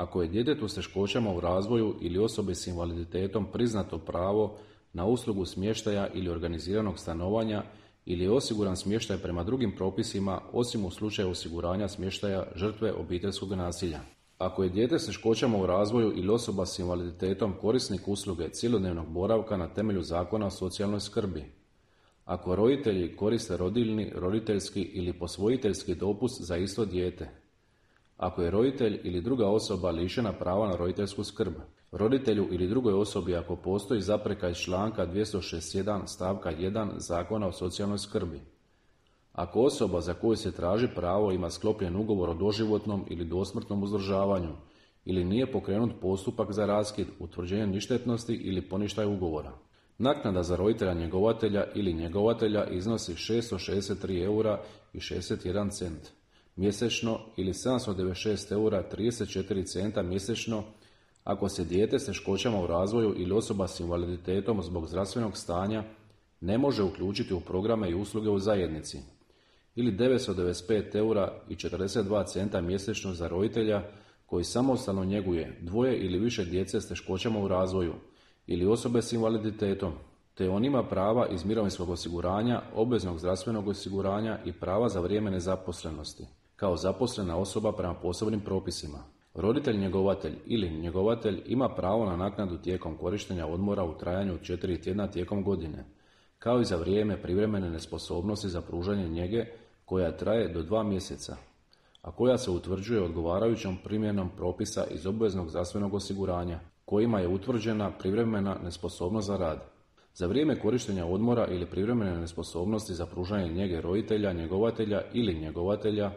Ako je djetetu s teškoćama u razvoju ili osobi s invaliditetom priznato pravo na uslugu smještaja ili organiziranog stanovanja ili je osiguran smještaj prema drugim propisima osim u slučaju osiguranja smještaja žrtve obiteljskog nasilja. Ako je dijete s teškoćama u razvoju ili osoba s invaliditetom korisnik usluge cjelodnevnog boravka na temelju Zakona o socijalnoj skrbi. Ako roditelji koriste rodiljni, roditeljski ili posvojiteljski dopust za isto dijete. Ako je roditelj ili druga osoba lišena prava na roditeljsku skrb. Roditelju ili drugoj osobi ako postoji zapreka iz članka 261 stavka 1 Zakona o socijalnoj skrbi. Ako osoba za koju se traži pravo ima sklopljen ugovor o doživotnom ili dosmrtnom uzdržavanju ili nije pokrenut postupak za raskid, utvrđenje ništetnosti ili poništaj ugovora. Naknada za roditelja njegovatelja ili njegovatelja iznosi 663 eura i 61 cent mjesečno ili 796 eura 34 centa mjesečno ako se dijete s teškoćama u razvoju ili osoba s invaliditetom zbog zdravstvenog stanja ne može uključiti u programe i usluge u zajednici, ili 995 eura i 42 centa mjesečno za roditelja koji samostalno njeguje dvoje ili više djece s teškoćama u razvoju ili osobe s invaliditetom, te on ima prava iz mirovinskog osiguranja, obveznog zdravstvenog osiguranja i prava za vrijeme nezaposlenosti, kao zaposlena osoba prema posebnim propisima. Roditelj njegovatelj ili njegovatelj ima pravo na naknadu tijekom korištenja odmora u trajanju od 4 tjedna tijekom godine, kao i za vrijeme privremene nesposobnosti za pružanje njege koja traje do 2 mjeseca, a koja se utvrđuje odgovarajućom primjenom propisa iz obveznog zdravstvenog osiguranja, kojima je utvrđena privremena nesposobnost za rad. Za vrijeme korištenja odmora ili privremene nesposobnosti za pružanje njege roditelja, njegovatelja ili njegovatelja,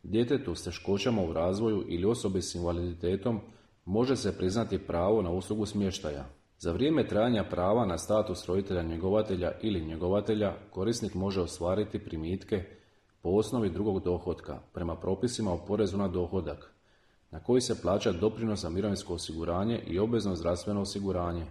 djetetu s teškoćama u razvoju ili osobi s invaliditetom može se priznati pravo na uslugu smještaja. Za vrijeme trajanja prava na status roditelja njegovatelja ili njegovatelja korisnik može ostvariti primitke po osnovi drugog dohotka prema propisima o porezu na dohodak, na koji se plaća doprinos za mirovinsko osiguranje i obvezno zdravstveno osiguranje,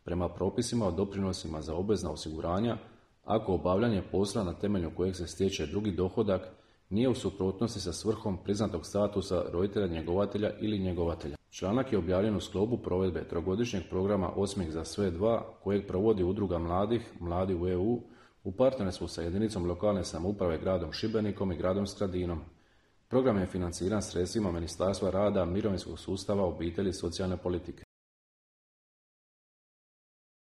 prema propisima o doprinosima za obvezna osiguranja, ako obavljanje posla na temelju kojeg se stječe drugi dohodak nije u suprotnosti sa svrhom priznatog statusa roditelja njegovatelja ili njegovatelja. Članak je objavljen u sklopu provedbe trogodišnjeg programa Osmijeh za sve 2, kojeg provodi Udruga mladih, Mladi u EU, u partnerstvu sa jedinicom lokalne samouprave gradom Šibenikom i gradom Skradinom. Program je financiran sredstvima Ministarstva rada, mirovinskog sustava, obitelji i socijalne politike.